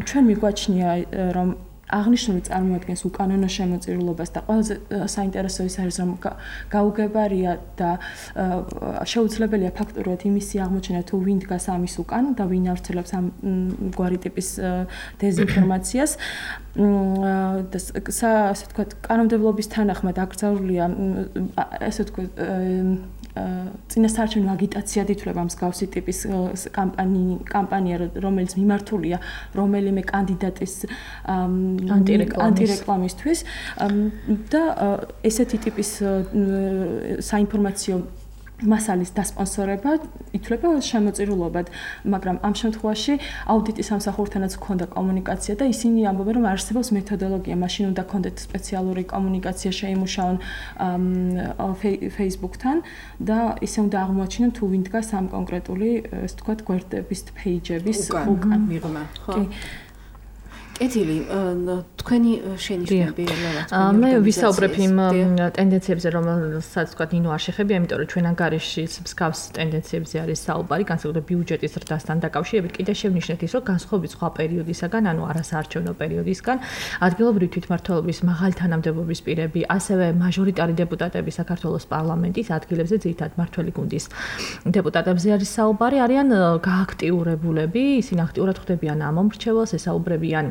D: ჩვენ მიგვაჩნია, რომ აღნიშნული წარმოადგენს უკანონო შემოწირულობას და ყველაზე საინტერესო ის არის, რომ გაუგებარია და შეუძლებელია ფაქტურად იმისი აღმოჩენა, თუ ვინ დგას ამის უკან და ვინ ავრცელებს ამ გვარი ტიპის დეზინფორმაციას. და ასე ვთქვათ, კანონმდებლობის თანახმად აკრძალულია ესე ვთქვათ წინასაარჩევნო აგიტაციად ითვლება მსგავსი ტიპის კამპანია, რომელიც მიმართულია რომელიმე კანდიდატის ანტირეკლამისთვის და ესეთი ტიპის საინფორმაციო მასალის დასპონსორება ითვლება შემოწირულობად, მაგრამ ამ შემთხვევაში აუდიტის სამსახურთანაც ჰქონდა კომუნიკაცია და ისინი ამბობენ, რომ არსებობს მეთოდოლოგია, მაშინ უნდა ჰქონდეთ სპეციალური კომუნიკაცია შეიმუშაონ Facebook-თან და ისე უნდა აღმოაჩინონ თუ ვინ დგას ამ კონკრეტული, ასე ვთქვათ, გვერდების პეიჯების უკან მიღმა. ხო.
B: კეთილი, თქვენი შენიშვნები რა
C: მე ვისაუბრებ იმ ტენდენციებზე, რომელსაც თქვა ნინო არ შეხებია, იმიტომ რომ ჩვენ ანგარიში მსგავს ტენდენციებზე არის საუბარი, განსაკუთრებით ბიუჯეტის ზრდასთან დაკავშირებით. კიდე შევნიშნეთ ის, რომ განსხვავებით სხვა პერიოდისაგან, ანუ არასაარჩევნო პერიოდისგან, ადგილობრივი თვითმმართველობის მაღალი თანამდებობის პირები, ასევე მაჟორიტარი დეპუტატები საქართველოს პარლამენტის ადგილებზე, ძირითადად მმართველი გუნდის დეპუტატებზე არის საუბარი, არიან გააქტიურებულები, ისინი აქტიურად ხვდებიან ამ მომრჩეველს, ესაუბრებიან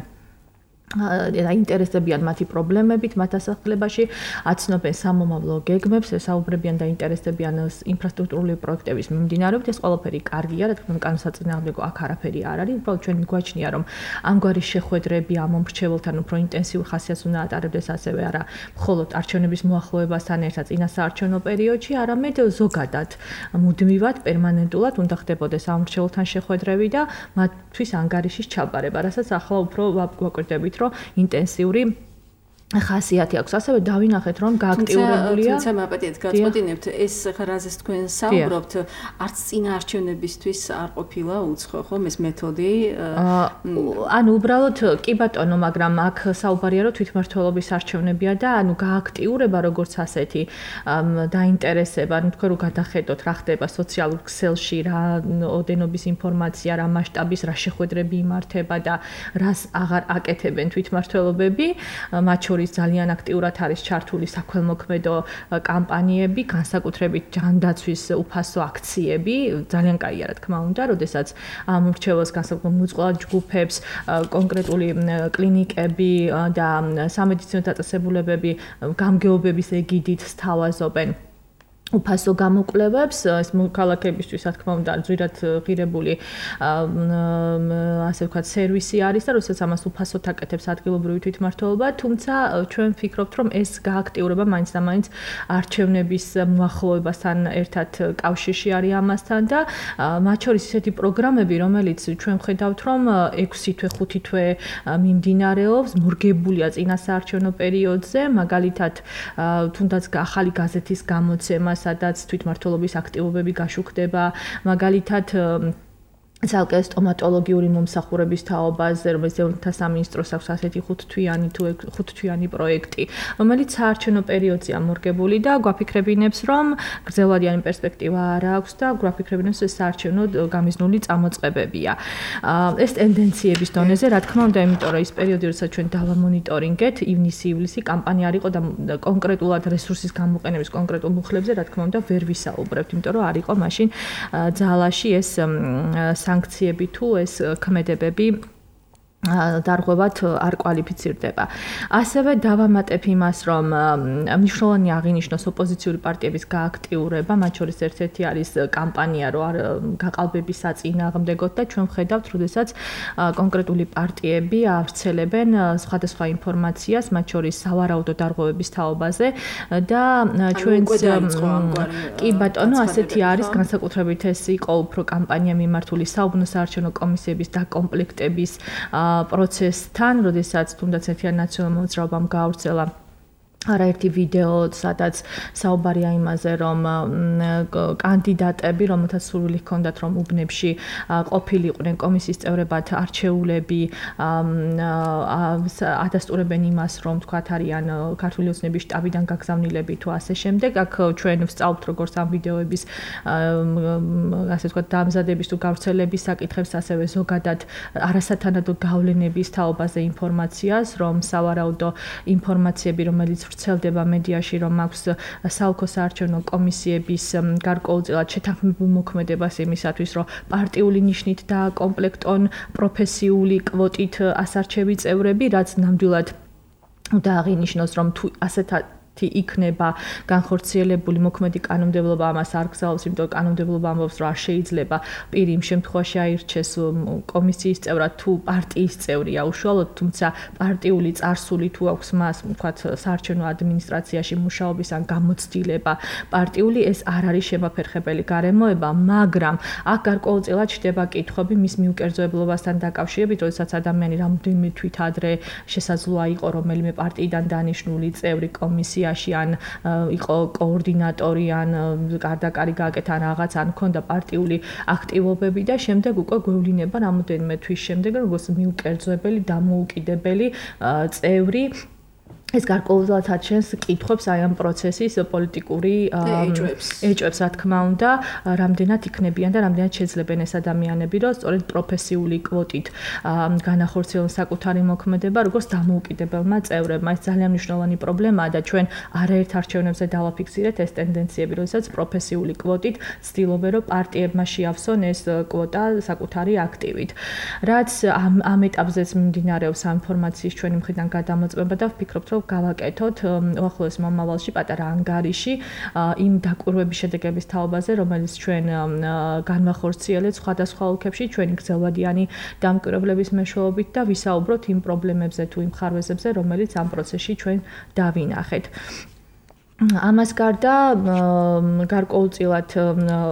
C: და ინტერესდებიან მათი პრობლემებით მათ ასახლებაში, აცნობენ სამომავლო გეგმებს, ესაუბრებიან და ინტერესდებიან ინფრასტრუქტურული პროექტების მიმდინარეობით. ეს ყველაფერი კარგია, რა თქმა უნდა, კანონსაწინააღმდეგო აქ არაფერი არ არის. უბრალოდ ჩვენ მიგვაჩნია, რომ ამგვარი შეხვედრები ამ მომრჩეველთან უფრო ინტენსიურ ხასიათს უნდა ატარებდეს, ასევე არა მხოლოდ არჩევნების მოახლოებასთან ერთად წინასაარჩევნო პერიოდში, არამედ ზოგადად, მუდმივად, პერმანენტულად უნდა ხდებოდეს ამ მომრჩეველთან შეხვედრები და მათთვის ანგარიშის ჩაბარება, რასაც ახლა უფრო ვაკვირდებით, რომ ინტენსიური ხასიათი აქვს. ასევე დავინახეთ, რომ გააქტიურებულია.
B: თუმცა მაპატიეთ გაწყვეტინებთ, ეს რაზეც თქვენ საუბრობთ, არც წინაარჩევნებისთვის არ ყოფილა უცხო, ხომ ეს მეთოდი?
C: ანუ უბრალოდ კი ბატონო, მაგრამ აქ საუბარია, რომ თვითმმართველობის არჩევნებია და ანუ გააქტიურება როგორც ასეთი დაინტერესება, ანუ თქვენ რო გადახედოთ, რა ხდება სოციალურ ქსელში, რა ოდენობის ინფორმაცია, რა მასშტაბის, რა შეხვედრები იმართება და რას აღარ აკეთებენ თვითმმართველობები, მათ შორის ძალიან აქტიურად არის ჩართული საქველმოქმედო კამპანიები, განსაკუთრებით ჯანდაცვის უფასო აქციები, ძალიან კაია რა თქმა უნდა, როდესაც ამ მრჩეველს განსაკუთრებით მოწყვლად ჯგუფებს, კონკრეტული კლინიკები და სამედიცინო დაწესებულებები გამგეობების ეგიდით სთავაზობენ უფასო გამოკვლევებს, ეს მოქალაქეებისთვის, რა თქმა უნდა, ძვირად ღირებული ასე ვქოთ სერვისი არის და როდესაც ამას უფასოდ აკეთებს ადგილობრივი თვითმმართველობა, თუმცა ჩვენ ვფიქრობთ, რომ ეს გააქტიურება მაინც და მაინც არჩევნების მოახლოებასთან ერთად კავშირში არის ამასთან და მათ შორის ისეთი პროგრამები, რომელიც ჩვენ ვხედავთ, რომ ექვსი თვე, ხუთი თვე მიმდინარეობს, მორგებულია წინასაარჩევნო პერიოდზე, მაგალითად, თუნდაც ახალი გაზეთის გამოცემა სადაც თვითმმართველობის აქტივობები გაშუქდება, მაგალითად ცალკე სტომატოლოგიური მომსახურების თაობაზე, რომელიც ევროპთა სამინისტროს აქვს ასეთი ხუთთვიანი თუ ხუთთვიანი პროექტი, რომელიც საარჩევნო პერიოდზეა მორგებული და გვაფიქრებინებს, რომ გრძელვადიანი პერსპექტივა არ აქვს და გვაფიქრებინებს, ეს საარჩევნო გამიზნული წამოწყებებია. ეს ტენდენციების დონეზე, რა თქმა უნდა, იმიტომ რომ ის პერიოდი, როცა ჩვენ დავამონიტორინგეთ, ივნისი-ივლისი კამპანია არ იყო და კონკრეტულად რესურსის გამოყენების კონკრეტულ მუხლებზე, რა თქმა უნდა, ვერ ვისაუბრებთ, იმიტომ რომ არ იყო მაშინ ძალაში ეს სანქციები თუ ეს ქმედებები დარღვევად არ კვალიფიცირდება. ასევე დავამატებ იმას, რომ მნიშვნელოვანი აღინიშნოს ოპოზიციური პარტიების გააქტიურება, მათ შორის ერთ-ერთი არის კამპანია, რო არ გაყალბების საწინააღმდეგოდ და ჩვენ ვხედავთ, როდესაც კონკრეტული პარტიები ავრცელებენ სხვადასხვა ინფორმაციას, მათ შორის სავარაუდო დარღვევების თაობაზე და ჩვენც კი ბატონო, ასეთი არის განსაკუთრებით ეს იყო უფრო კამპანია მიმართული საუბნო საარჩევნო კომისიების დაკომპლექტების პროცესთან, როდესაც თუნდაც ერთიან ნაციონალურ მოძრაობამ გაავრცელა არაერთი ვიდეო, სადაც საუბარია იმაზე, რომ კანდიდატები, რომელთაც სურვილი ჰქონდათ, რომ უბნებში ყოფილიყვნენ კომისიის წევრებად არჩეულები, ადასტურებენ იმას, რომ თქვათ არიან ქართული ოცნების შტაბიდან გაგზავნილები თუ ასე შემდეგ. აქ ჩვენ ვსწავლთ როგორც ამ ვიდეოების ასე ვთქვათ დამზადების თუ გავრცელების საკითხებს, ასევე ზოგადად არასათანადო გავლენების თაობაზე ინფორმაციას, რომ სავარაუდო ინფორმაციები, რომელიც ვრცელდება მედიაში, რომ აქვს საოლქო საარჩევნო კომისიების გარკვეულწილად შეთანხმებულ მოქმედებას იმისათვის, რომ პარტიული ნიშნით დააკომპლექტონ პროფესიული კვოტით ასარჩევი წევრები, რაც ნამდვილად უნდა აღინიშნოს, რომ თუ ასეთად იქნება განხორციელებული მოქმედი კანონმდებლობა ამას არ გზავნოს, იმიტომ რომ კანონმდებლობა ამბობს, რომ არ შეიძლება პირი იმ შემთხვევაში აირჩეს კომისიის წევრად თუ პარტიის წევრია უშუალოდ, თუმცა პარტიული წარსული თუ აქვს მას, ვთქვათ, საარჩევნო ადმინისტრაციაში მუშაობის ან გამოცდილება პარტიული, ეს არ არის შემაფერხებელი გარემოება, მაგრამ აქ გარკვეულწილად ჩდება კითხვები მის მიუკერძოებლობასთან დაკავშირებით, როდესაც ადამიანი რამდენიმე თვით ადრე შესაძლოა იყო რომელიმე პარტიიდან დანიშნული წევრი კომისია ან იყო კოორდინატორი ან გარდაკარი გააკეთა რაღაც ან ქონდა პარტიული აქტივობები და შემდეგ უკვე გვევლინება რამოდენიმე თვის შემდეგ როგორც მიუკერძოებელი დამოუკიდებელი წევრი ეს გარკვეულწილად აჩენს კითხვებს აი ამ პროცესის პოლიტიკური ეჭვებს, რა თქმა უნდა, რამდენად იქნებიან და რამდენად შეძლებენ ეს ადამიანები, რომ სწორედ პროფესიული კვოტით განახორციელონ საკუთარი მოქმედება, როგორც დამოუკიდებელმა წევრებმა. ეს ძალიან მნიშვნელოვანი პრობლემაა და ჩვენ არაერთ არჩევნებზე დავაფიქსირეთ ეს ტენდენციები, როდესაც პროფესიული კვოტით ცდილობენ, რომ პარტიებმა შეავსონ ეს კვოტა საკუთარი აქტივით. რაც ამ ამ ეტაპზეც მიმდინარეობს ამ ინფორმაციის ჩვენი მხრიდან გადამოწმება და ვფიქრობთ, რომ გავაკეთოთ უახლოეს მომავალში პატარა ანგარიში იმ დაკვირვების შედეგების თაობაზე, რომელიც ჩვენ განვახორციელეთ სხვადასხვა ოლქებში ჩვენი გრძელვადიანი დამკვირვებლების მეშვეობით და ვისაუბროთ იმ პრობლემებზე თუ იმ ხარვეზებზე, რომელიც ამ პროცესში ჩვენ დავინახეთ. ამას გარდა გარკვეულწილად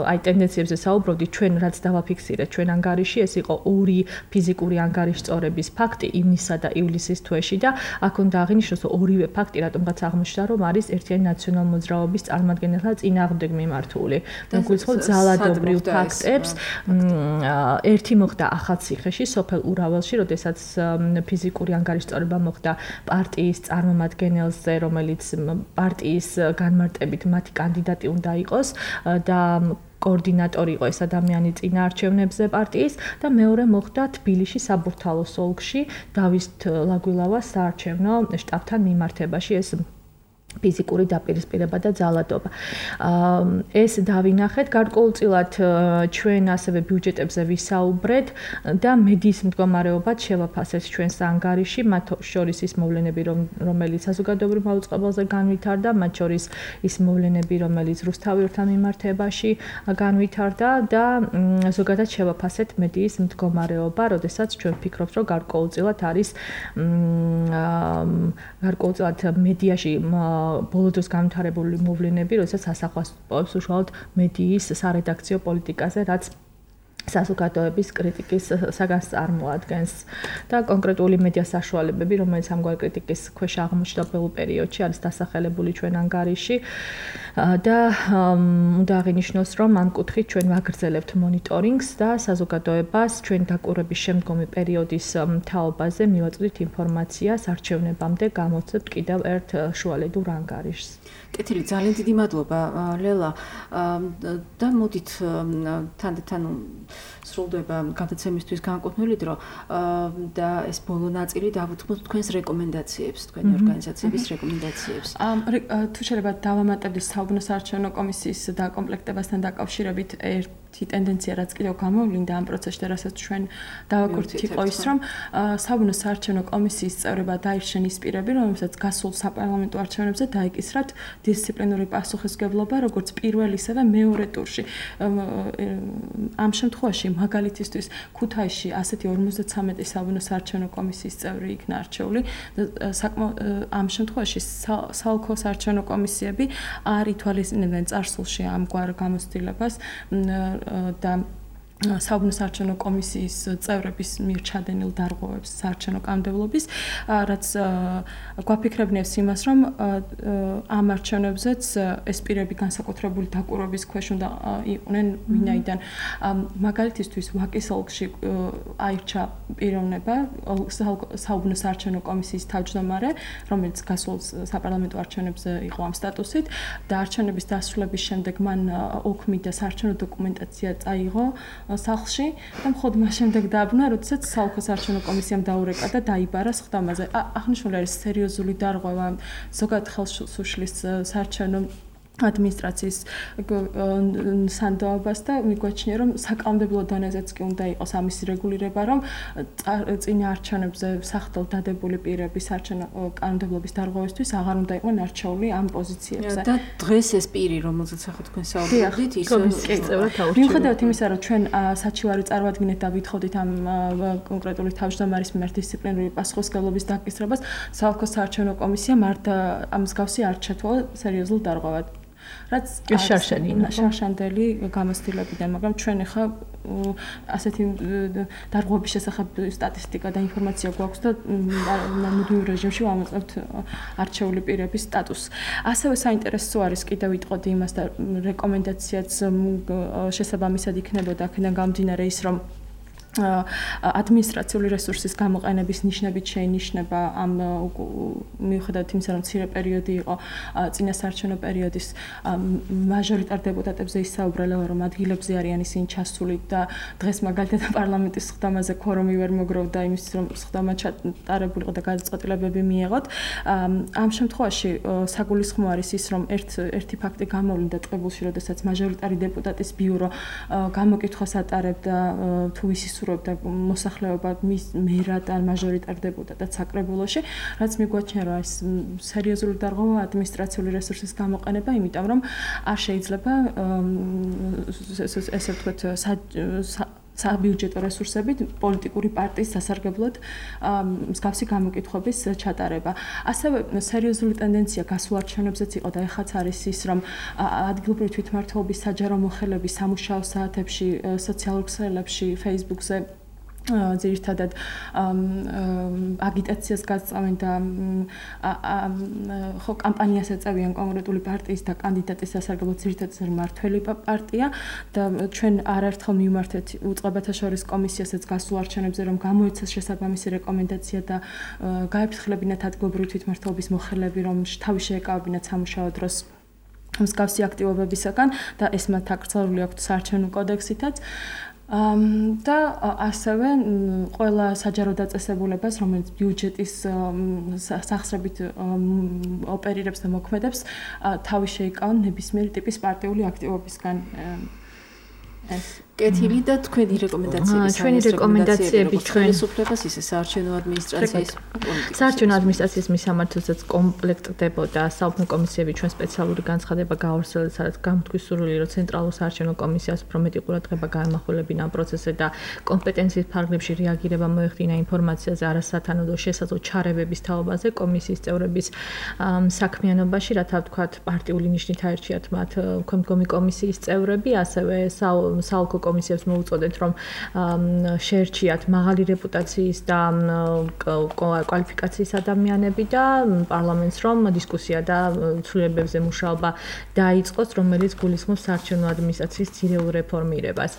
C: აი ტენდენციებზე საუბრობდი, ჩვენ რაც დავაფიქსირეთ ჩვენ ანგარიში, ეს იყო ორი ფიზიკური ანგარიშ სწორების ფაქტი ივნისსა და ივლისის თვეში და აქ უნდა აღინიშნოს, რომ ორივე ფაქტი რატომღაც აღმოჩნდა, რომ არის ერთიანი ნაციონალური მოძრაობის წარმომადგენელთა წინააღმდეგ მიმართული. მოგვითხრობ ძალადობრივ ფაქტებს. ერთი მოხდა ახალციხეში, სოფელ ურაველში, როდესაც ფიზიკური ანგარიშ სწორება მოხდა პარტიის წარმომადგენელზე, რომელიც პარტიის განმარტებით მათი კანდიდატი უნდა იყოს და კოორდინატორი იყო ეს ადამიანი წინაარჩევნებზე პარტიის და მეორე მოხდა თბილისში საბურთალოს ოლქში დავით ლაგვილავას საარჩევნო შტაბთან მიმართებაში ეს ფიზიკური დაპირისპირება და ძალადობა. ეს დავინახეთ გარკვეულწილად ჩვენ ასევე ბიუჯეტებზე ვისაუბრეთ და მედიის მდგომარეობაც შევაფასეთ ჩვენს ანგარიში, მათ შორის ის მოვლენები, რომელიც საზოგადოებრივ მაუწყებელზე განვითარდა, მათ შორის ის მოვლენები, რომელიც რუსთაველთან მიმართებაში განვითარდა და ზოგადად შევაფასეთ მედიის მდგომარეობა, როდესაც ჩვენ ვფიქრობთ, რომ გარკვეულწილად არის გარკვეულწილად მედიაში ბოლო დროს განვითარებული მოვლენები, როდესაც ასახვას პოვებს უშუალოდ მედიის სარედაქციო პოლიტიკაზე, რაც საზოგადოების კრიტიკის საგანს წარმოადგენს და კონკრეტული მედია საშუალებები, რომელიც ამგვარ კრიტიკის ქვეშ აღმოჩნდა ბოლო პერიოდში, არის დასახელებული ჩვენ ანგარიში და უნდა აღინიშნოს, რომ ამ კუთხით ჩვენ ვაგრძელებთ მონიტორინგს და საზოგადოებას ჩვენ დაკვირვების შემდგომი პერიოდის თაობაზე მივაწვდით ინფორმაციას არჩევნებამდე გამოცემთ კიდევ ერთ შუალედურ ანგარიშს.
B: კეთილი, ძალიან დიდი მადლობა ლელა და მოდით თანდათან სრულდება გადაცემისთვის განკუთვნილი დრო და ეს ბოლო ნაწილი დავუთმოთ თქვენს რეკომენდაციებს, თქვენი ორგანიზაციების რეკომენდაციებს.
D: თუ შეიძლება დავამატებდი საუბნო საარჩევნო კომისიის დაკომპლექტებასთან დაკავშირებით ტენდენცია რაც კიდევ გამოვლინდა ამ პროცესში და რასაც ჩვენ დავაკვირდით იყო ის რომ საბუნებო საარჩევნო კომისიის წევრება დაირჩენ ის პირები რომელსაც გასულ საპარლამენტო არჩევნებზე დაიკისრათ დისციპლინური პასუხისმგებლობა როგორც პირველ ისევე მეორე ტურში ამ შემთხვევაში მაგალითისთვის ქუთაისში ასეთი ორმოცდათვრამეტი საბუნებო საარჩევნო კომისიის წევრი იქნა არჩეული ამ შემთხვევაში საოლქო საარჩევნო კომისიები არ ითვალისწინებენ წარსულში ამგვარ გამოცდილებას და საბუნებო საარჩევნო კომისიის წევრების მიერ ჩადენილ დარღვევებს საარჩევნო კანონმდებლობის, რაც გვაფიქრებნებს იმას, რომ ამ არჩევნებზეც ეს პირები განსაკუთრებული დაკვირვების ქვეშ უნდა იყვნენ, ვინაიდან მაგალითისთვის ვაკის ოლქში აირჩა პიროვნება საბუნებო საარჩევნო კომისიის თავმჯდომარე, რომელიც გასულ საპარლამენტო არჩევნებზე იყო ამ სტატუსით და არჩევნების დასრულების შემდეგ მან ოქმი და საარჩევნო დოკუმენტაცია წაიღო სახლში და მხოლოდ მას შემდეგ დააბნა, როდესაც საოლქო საარჩევნო კომისიამ დაურეკა და დაიბარა სხდომაზე. აღნიშნული არის სერიოზული დარღვევა ზოგადად ხელშუშლის საარჩევნო ადმინისტრაციის სანდოობას და მიგვაჩნია, რომ საკანონმდებლო დონეზეც კი უნდა იყოს ამის რეგულირება, რომ წინა არჩევნებზე სახდელ დადებული პირები საარჩევნო კანონმდებლობის დარღვევისთვის აღარ უნდა იყვნენ არჩეული ამ პოზიციებზე.
B: და დღეს ეს პირი, რომელზეც ახლა თქვენ საუბრობთ, ის
D: მიუხედავად იმისა, რომ ჩვენ საჩივარი წარვადგინეთ და ვითხოვდით ამ კონკრეტული თავმჯდომარის მიმართ დისციპლინური პასუხისმგებლობის დაკისრებას, საოლქო საარჩევნო კომისიამ არ ამ მსგავსი არ ჩათვალა სერიოზულ დარღვევად. რაც შარშანდელი გამოცდილებიდან, მაგრამ ჩვენ ახლა ასეთი დარღვევების შესახებ სტატისტიკა და ინფორმაცია გვაქვს და მუდმივ რეჟიმში ვამოწმებთ არჩეული პირების სტატუსს. ასევე საინტერესო არის კიდევ ვიტყოდი იმას და რეკომენდაციაც შესაბამისად იქნებოდა აქედან გამომდინარე ის, რომ ადმინისტრაციული რესურსის გამოყენების ნიშნებით შეინიშნება ამ მიუხედავად იმისა, რომ მცირე პერიოდი იყო წინა საარჩევნო პერიოდის მაჟორიტარ დეპუტატებზე ისაუბრა, რომ ადგილებზე არიან ისინი ჩასული და დღეს მაგალითად პარლამენტის სხდომაზე ქორუმი ვერ მოგროვდა იმის, რომ სხდომა ჩატარებულიყო და გადაწყვეტილებები მიეღოთ. ამ შემთხვევაში საგულისხმო არის ის, რომ ერთ ერთი ფაქტი გამოვლინდა ტყიბულში, როდესაც მაჟორიტარი დეპუტატის ბიურო გამოკითხვას ატარებდა თუ ისი და მოსახლეობა მის მერად ან მაჟორიტარ დეპუტატად საკრებულოში, რაც მიგვაჩნია, რომ ეს სერიოზული დარღვევა ადმინისტრაციული რესურსის გამოყენება, იმიტომ რომ არ შეიძლება ესე ვთქვათ საბიუჯეტო რესურსებით პოლიტიკური პარტიის სასარგებლოდ მსგავსი გამოკითხვების ჩატარება. ასევე სერიოზული ტენდენცია გასულ არჩევნებზეც იყო და ეხაც არის ის, რომ ადგილობრივი თვითმმართველობის საჯარო მოხელების სამუშაო საათებში, სოციალურ ქსელებში, Facebook-ზე ძირითადად აგიტაციას გაწევენ და ხო კამპანიას ეწევიან კონკრეტული პარტიის და კანდიდატის სასარგებლოდ ძირითადად მმართველი პარტია და ჩვენ არაერთხელ მივმართეთ უწყებათა შორის კომისიასაც გასულ არჩევნებზე, რომ გამოეცეს შესაბამისი რეკომენდაცია და გაეფრთხილებინათ ადგილობრივი თვითმმართველობის მოხელები, რომ თავი შეეკავებინათ სამუშაო დროს მსგავსი აქტივობებისაგან და ეს მათ აკრძალული აქვთ საარჩევნო კოდექსითაც. და ასევე ყველა საჯარო დაწესებულებას, რომელიც ბიუჯეტის სახსრებით ოპერირებს და მოქმედებს, თავი შეიკავონ ნებისმიერი ტიპის პარტიული აქტივობისგან. ეს
B: კეთილი და თქვენი რეკომენდაციები,
C: ჩვენი რეკომენდაციები ჩვენი
B: სუფლებას ისე საარჩევნო ადმინისტრაციის პოლიტიკას.
C: საარჩევნო ადმინისტრაციის მისამართებაც კომპლექტდებოდა საუბნო კომისიები ჩვენ სპეციალური განცხადება გაავრცელეთ, სადაც გამოთქვის სურვილი, რომ ცენტრალურ საარჩევნო კომისიას უფრო მეტი ყურადღება გაემახვილებინა ამ პროცესზე და კომპეტენციის ფარგლებში რეაგირება მოეხდინა ინფორმაციაზე არასათანადო შესაძლო ჩარევების თაობაზე კომისიის წევრების საქმიანობაში, რათა ვთქვათ პარტიული ნიშნით აერჩიათ მათ მდგომი კომისიის წევრები, ასევე საოლქო კომისიებს მოუწოდეთ, რომ შეერჩიათ მაღალი რეპუტაციის და კვალიფიკაციის ადამიანები და პარლამენტს რომ დისკუსია და ცვლილებებზე მუშაობა დაიწყოს, რომელიც გულისხმობს საარჩევნო ადმინისტრაციის ძირეულ რეფორმირებას.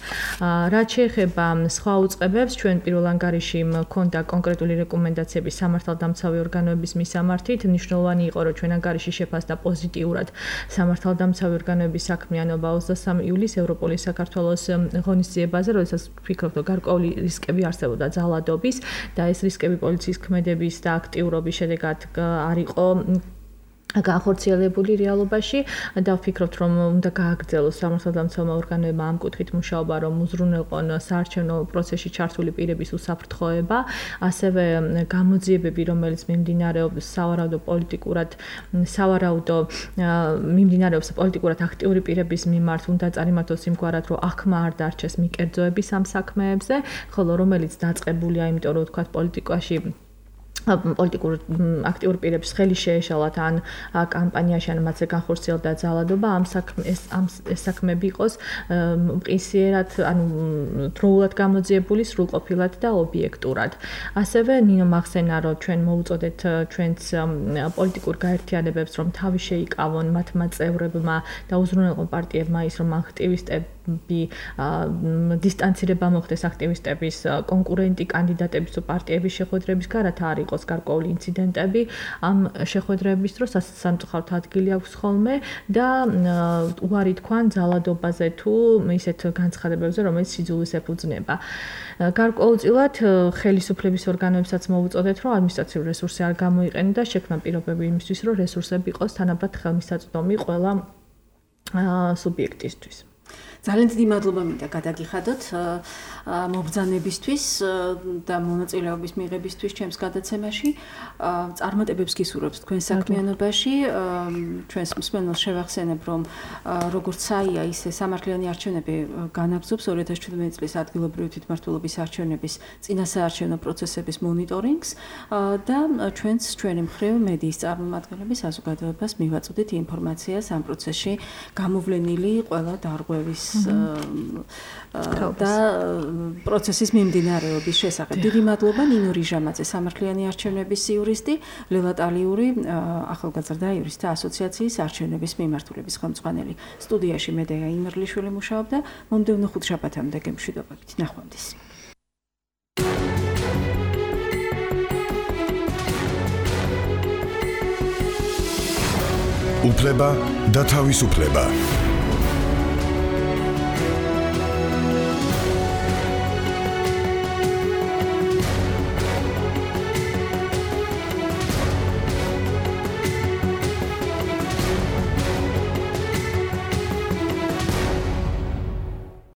C: რაც შეეხება სხვა უწყებებს, ჩვენ პირველ ანგარიში მქონდა კონკრეტული რეკომენდაციები სამართალდამცავი ორგანოების მისამართით. მნიშვნელოვანი იყო, რომ ჩვენ ანგარიში შეფასდა პოზიტიურად სამართალდამცავი ორგანოების საქმიანობა ოცდასამი ივლისს ევროპოლის საქართველოს ღონისძიებაზე, როდესაც ვფიქრობ, რომ გარკვეული რისკები არსებობდა ძალადობის და ეს რისკები პოლიციის ქმედების და აქტიურობის შედეგად არ იყო განხორციელებული რეალობაში და ვფიქრობთ, რომ უნდა გააგრძელოს სამართალდამცავმა ორგანოებმა ამ კუთხით მუშაობა, რომ უზრუნველყონ საარჩევნო პროცესში ჩართული პირების უსაფრთხოება, ასევე გამოძიებები, რომელიც მიმდინარეობს სავარაუდო პოლიტიკურად, სავარაუდო მიმდინარეობს პოლიტიკურად აქტიური პირების მიმართ, უნდა წარიმართოს იმგვარად, რომ აღქმა არ დარჩეს მიკერძოების ამ საქმეებზე, ხოლო რომელიც დაწყებულია, იმიტომ რომ ვთქვათ პოლიტიკაში პოლიტიკურ აქტიურ პირებს ხელი შეეშალათ ან კამპანიაში ან მათზე განხორციელდა ძალადობა ამ საქმეს ამ საქმეები იყოს მყისიერად ანუ დროულად გამოძიებული სრულყოფილად და ობიექტურად. ასევე ნინო მახსენა რომ ჩვენ მოუწოდეთ ჩვენს პოლიტიკურ გაერთიანებებს რომ თავი შეიკავონ მათმა წევრებმა და უზრუნველყონ პარტიებმა ის რომ აქტივისტები დისტანცირება მოხდეს აქტივისტების კონკურენტი კანდიდატების თუ პარტიების შეხვედრების გარეთ არ იყოს გარკვეული ინციდენტები ამ შეხვედრების დროს სამწუხაროდ ადგილი აქვს ხოლმე და უარი თქვან ძალადობაზე თუ ისეთ განცხადებებზე რომელიც სიძულვის ეფუძნება. გარკვეულწილად ხელისუფლების ორგანოებსაც მოუწოდეთ რომ ადმინისტრაციული რესურსი არ გამოიყენონ და შექმნა პირობები იმისთვის რომ რესურსები იყოს თანაბრად ხელმისაწვდომი ყველა სუბიექტისთვის.
B: ძალიან დიდი მადლობა მინდა გადაგიხადოთ მობრძანებისთვის და მონაწილეობის მიღებისთვის ჩემს გადაცემაში. წარმატებებს გისურვებთ თქვენ საქმიანობაში. ჩვენს მსმენელს შევახსენებ, რომ როგორც საია, ისე სამართლიანი არჩევნები განაგრძობს ორი ათას შვიდმეტი წლის ადგილობრივი თვითმმართველობის არჩევნების წინასაარჩევნო პროცესების მონიტორინგს და ჩვენს ჩვენი მხრივ მედიის წარმომადგენლები საზოგადოებას მივაწოდით ინფორმაციას ამ პროცესში გამოვლენილი ყველა დარღვევის და პროცესის მიმდინარეობის შესახებ. დიდი მადლობა ნინო რიჟამაძე, სამართლიანი არჩევნების იურისტი, ლელა ტალიური, ახალგაზრდა იურისტთა ასოციაციის არჩევნების მიმართულების ხელმძღვანელი. სტუდიაში მედეა იმერლიშვილი მუშაობდა. მომდევნო ხუთშაბათამდე გემშვიდობებით. ნახვამდის.
A: უფლება და თავისუფლება.